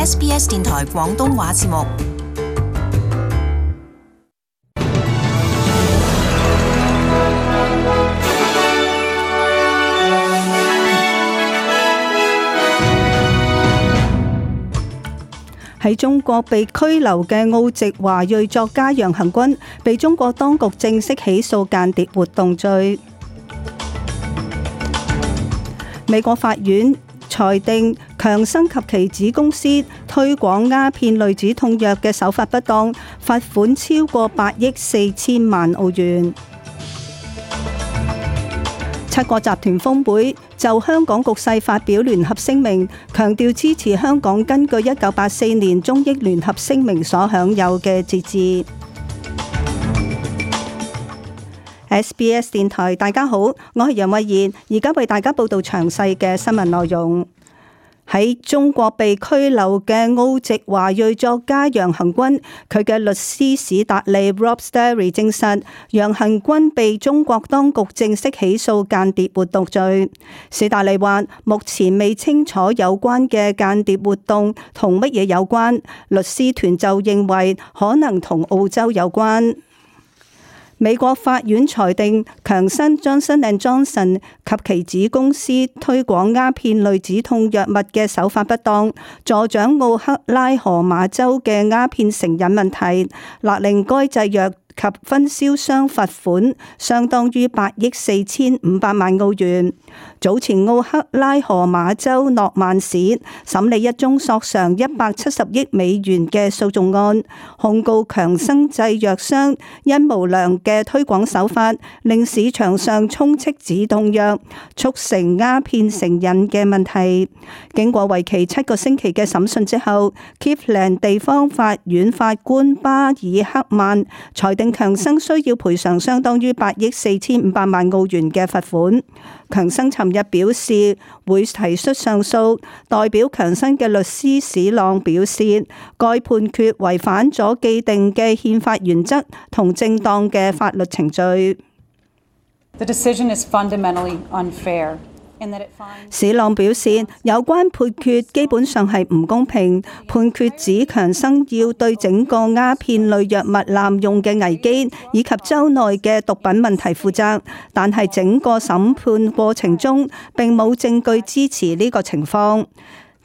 SBS 電台廣東話節目。喺中國被拘留嘅澳籍華裔作家楊恆均被中國當局正式起訴間諜活動罪。美國法院裁定強生及其子公司推廣鴉片類止痛藥嘅手法不當，罰款超過8億4千萬澳元。七國集團峰會就香港局勢發表聯合聲明，強調支持香港根據1984年中英聯合聲明所享有嘅自治。SBS 電台，大家好，我係楊慧妍，而家為大家報道詳細嘅新聞內容。喺中國被拘留嘅澳籍華裔作家楊恆均，佢嘅律師史達利 Rob Stary 證實，楊恆均被中國當局正式起訴間諜活動罪。史達利話，目前未清楚有關嘅間諜活動同乜嘢有關，律師團就認為可能同澳洲有關。美國法院裁定強生 Johnson & Johnson 及其子公司推廣鴉片類止痛藥物嘅手法不當，助長奧克拉荷馬州嘅鴉片成癮問題，勒令該製藥及分銷商罰款相當於8億4500萬澳元。早前奧克拉荷馬州諾曼市審理一宗索償170億美元嘅訴訟案，控告強生製藥商因無良嘅推廣手法，令市場上充斥止痛藥，促成鴉片成癮嘅問題。經過為期7個星期嘅審訊之後，Cleveland 地方法院法官巴爾克曼裁定強生需要賠償相當於8億4500萬澳元嘅罰款。強生尋日表示會提出上訴，代表強生嘅律師史朗表示，該判決違反咗既定嘅憲法原則同正當嘅法律程序。The decision is fundamentally unfair. 史朗表示，有關判決基本上係唔公平，判決指強生要對整個鴉片類藥物濫用嘅危機以及州內嘅毒品問題負責，但係整個審判過程中並冇證據支持呢個情況。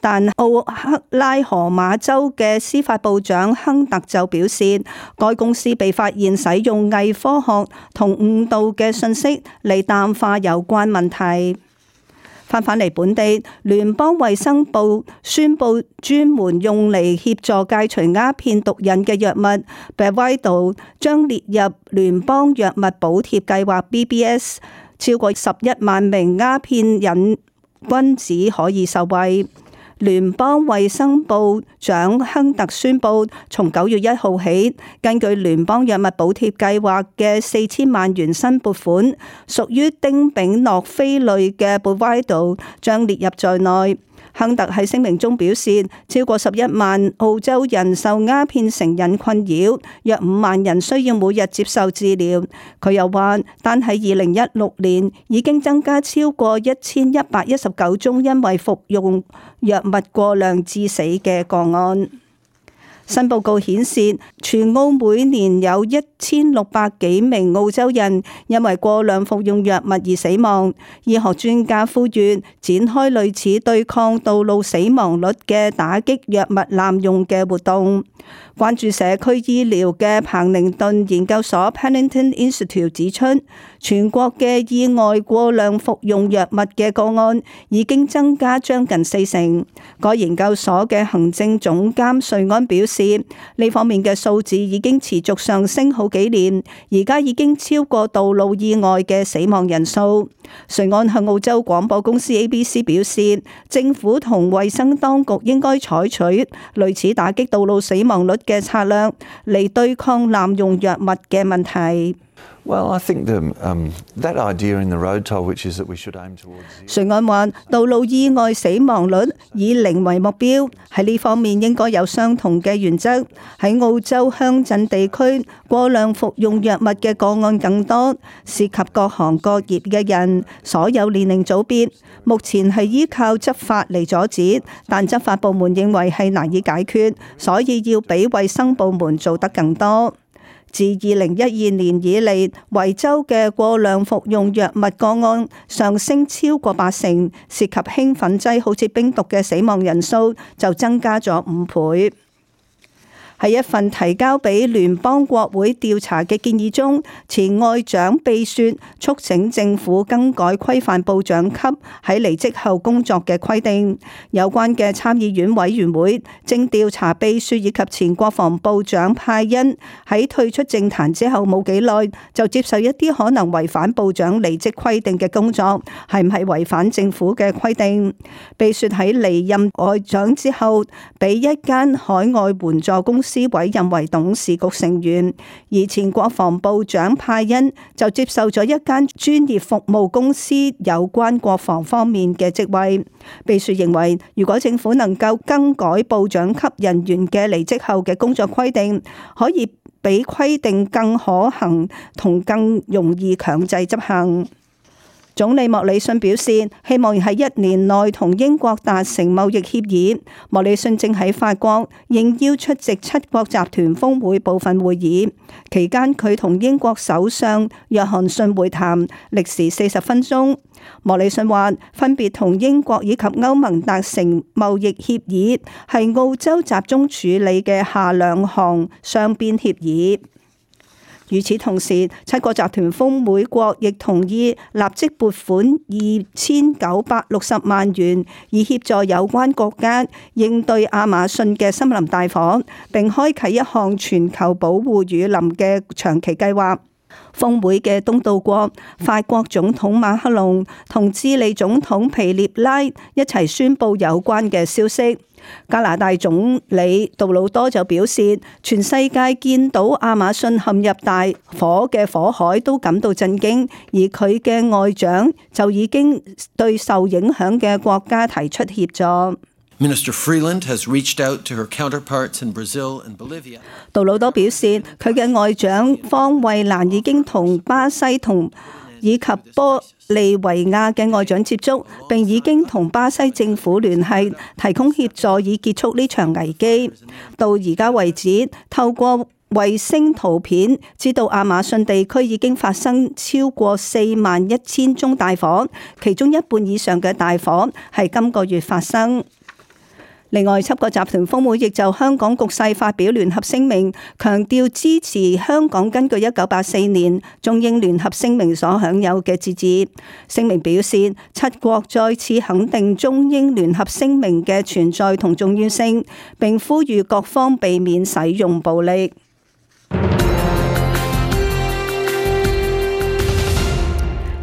但奧克拉荷馬州嘅司法部長亨特就表示，該公司被發現使用偽科學同誤導嘅信息嚟淡化有關問題。返嚟本地，聯邦衛生部宣布專門用嚟協助戒除鴉片毒癮嘅藥物 Bravado 將列入聯邦藥物補貼計劃 BBS， 超過11萬名鴉片癮君子可以受惠。聯邦衛生部長亨特宣布，從9月1號起，根據聯邦藥物補貼計劃嘅4000萬元新撥款，屬於丁丙諾非類嘅 Bravado 將列入在內。亨特喺聲明中表示，超過11萬澳洲人受鴉片成癮困擾，約5萬人需要每日接受治療。佢又話，單喺2016年已經增加超過1119宗因為服用藥物過量致死嘅個案。新報告顯示，全澳每年有1600幾名澳洲人因為過量服用藥物而死亡。醫學專家呼籲展開類似對抗道路死亡率嘅打擊藥物濫用嘅活動。關注社區醫療嘅彭寧頓研究所 Pennington Institute 指出，全國嘅意外過量服用藥物嘅個案已經增加將近40%。該研究所嘅行政總監瑞安表示，呢方面嘅數字已經持續上升好幾年，而家已經超過道路意外嘅死亡人數。瑞安向澳洲廣播公司 ABC 表示，政府同衛生當局應該採取類似打擊道路死亡率嘅策略嚟對抗濫用藥物嘅問題。Well, I think that idea in the road toll, which is that we should aim towards zero. 瑞安話，道路意外死亡率以零為目標，喺呢方面應該有相同嘅原則。喺澳洲鄉鎮地區，過量服用藥物嘅個案更多，涉及各行各業嘅人，所有年齡組別。目前係依靠執法嚟阻止，但執法部門認為係難以解決，所以要比衛生部門做得更多。自2012年以嚟，維州嘅過量服用藥物個案上升超過80%，涉及興奮劑好似冰毒嘅死亡人數就增加咗5倍。喺一份提交俾聯邦國會調查嘅建議中，前外長秘書促請政府更改規範部長級喺離職後工作嘅規定。有關嘅參議院委員會正調查秘書以及前國防部長派恩喺退出政壇之後冇幾耐就接受一啲可能違反部長離職規定嘅工作，係唔係違反政府嘅規定？秘書喺離任外長之後，俾一間海外援助公司委任為董事局成員，而前國防部長派恩就接受咗一間專業服務公司有關國防方面嘅職位。秘書認為，如果政府能夠更改部長級人員嘅離職後嘅工作規定，可以比規定更可行同更容易強制執行。總理莫里遜表示，希望喺1年內同英國達成貿易協議。莫里遜正喺法國應邀出席7國集團峰會部分會議，期間佢同英國首相約翰遜會談，歷時40分鐘。莫里遜話，分別同英國以及歐盟達成貿易協議，係澳洲集中處理嘅下2項雙邊協議。與此同時，7國集團峰會國亦同意立即撥款2960萬元，以協助有關國家應對亞馬遜嘅森林大火，並開啟一項全球保護雨林嘅長期計劃。峰會嘅東道國法國總統馬克龍同智利總統皮涅拉一齊宣布有關嘅消息。加拿大總理杜魯多就表示，全世界見到亞馬遜陷入大火嘅火海都感到震驚，而佢嘅外長就已經對受影響嘅國家提出協助。Minister Freeland has reached out to her counterparts in Brazil and Bolivia. 杜魯多表示，佢嘅外長方慧蘭已經同巴西以及玻利維亞嘅外長接觸，並已經同巴西政府聯繫，提供協助以結束呢場危機。到而家為止，透過衛星圖片知道亞馬遜地區已經發生超過41000宗大火，其中一半以上嘅大火係今個月發生。另外，7國集團峰會亦就香港局勢發表聯合聲明，強調支持香港根據1984年中英聯合聲明所享有嘅自治。聲明表示，7國再次肯定中英聯合聲明嘅存在同重要性，並呼籲各方避免使用暴力。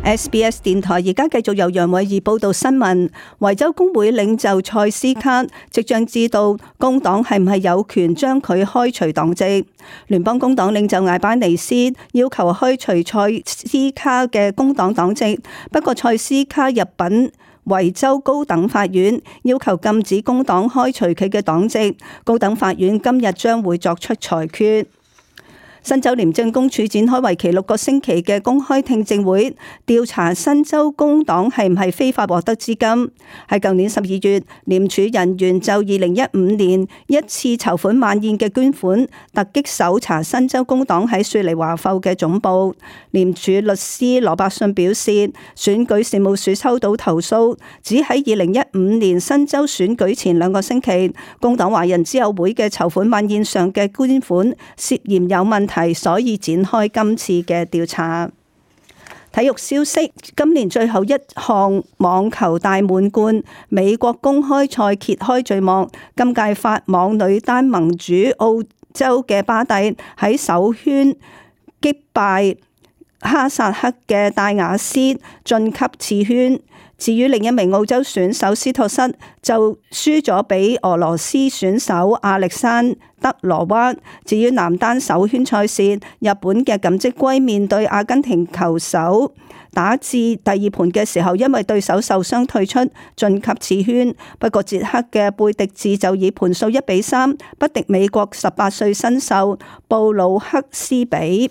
SBS 電台而家繼續由楊偉儀報道新聞。維州工會領袖塞斯卡即將知道工黨係唔係有權將佢開除黨籍。聯邦工黨領袖艾班尼斯要求開除塞斯卡嘅工黨黨籍，不過塞斯卡入稟維州高等法院，要求禁止工黨開除佢嘅黨籍。高等法院今日將會作出裁決。新州廉政公署展開為期6個星期嘅公開聽證會，調查新州工黨係唔係非法獲得資金。喺舊年12月，廉署人員就2015年一次籌款晚宴嘅捐款，突擊搜查新州工黨喺雪梨華埠嘅總部。廉署律師羅伯遜表示，選舉事務處收到投訴，指喺2015年新州選舉前2個星期，工黨華人之友會嘅籌款晚宴上嘅捐款涉嫌有問題。所以展開今次嘅調查。體育消息，今年最後一項網球大滿貫美國公開賽揭開序幕。今屆法網女單盟主澳洲嘅巴蒂喺首圈擊敗哈薩克嘅戴雅斯晉級次圈。至於另一名澳洲選手斯托瑟就輸咗俾俄羅斯選手亞歷山德羅娃。至於男單首圈賽事，日本嘅錦織圭面對阿根廷球手，打至第二盤嘅時候，因為對手受傷退出，晉級次圈。不過捷克嘅貝迪治就以盤數1-3不敵美國18歲新秀布魯克斯比。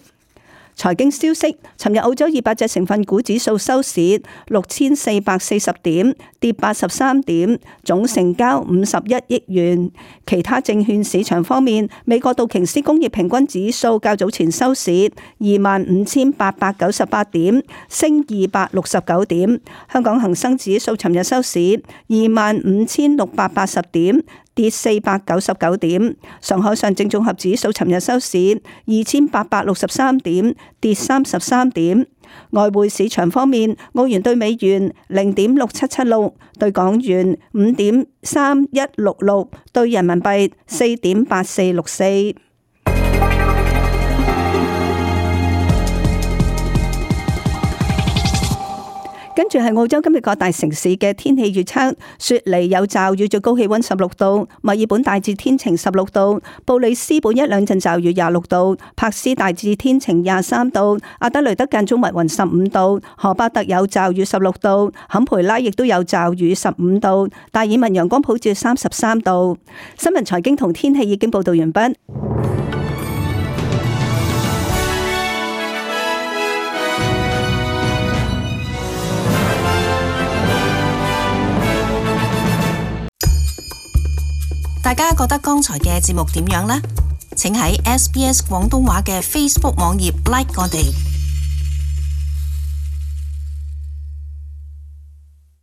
財經消息，尋日澳洲200隻成分股指數收市6440點，跌83點，總成交51億元。其他證券市場方面，美國道瓊斯工業平均指數較早前收市25,898點，升269點。香港恒生指數尋日收市25,680點，跌499點。上海上證綜合指數尋日收市2863點，跌33點。外匯市場方面，澳元兌美元0.6776，兌港元5.3166，兌人民幣4.8464。跟住係澳洲今日各大城市嘅天氣預測：雪梨有驟雨，最高氣溫16度；墨爾本大致天晴16度；布里斯本一兩陣驟雨26度；柏斯大致天晴23度；阿德雷德間中密雲15度；荷巴特有驟雨16度；坎培拉亦都有驟雨15度；達爾文陽光普照33度。新聞財經同天氣已經報道完畢。大家覺得剛才嘅節目點樣呢？請喺SBS 廣東話嘅 Facebook 網頁 like 我哋。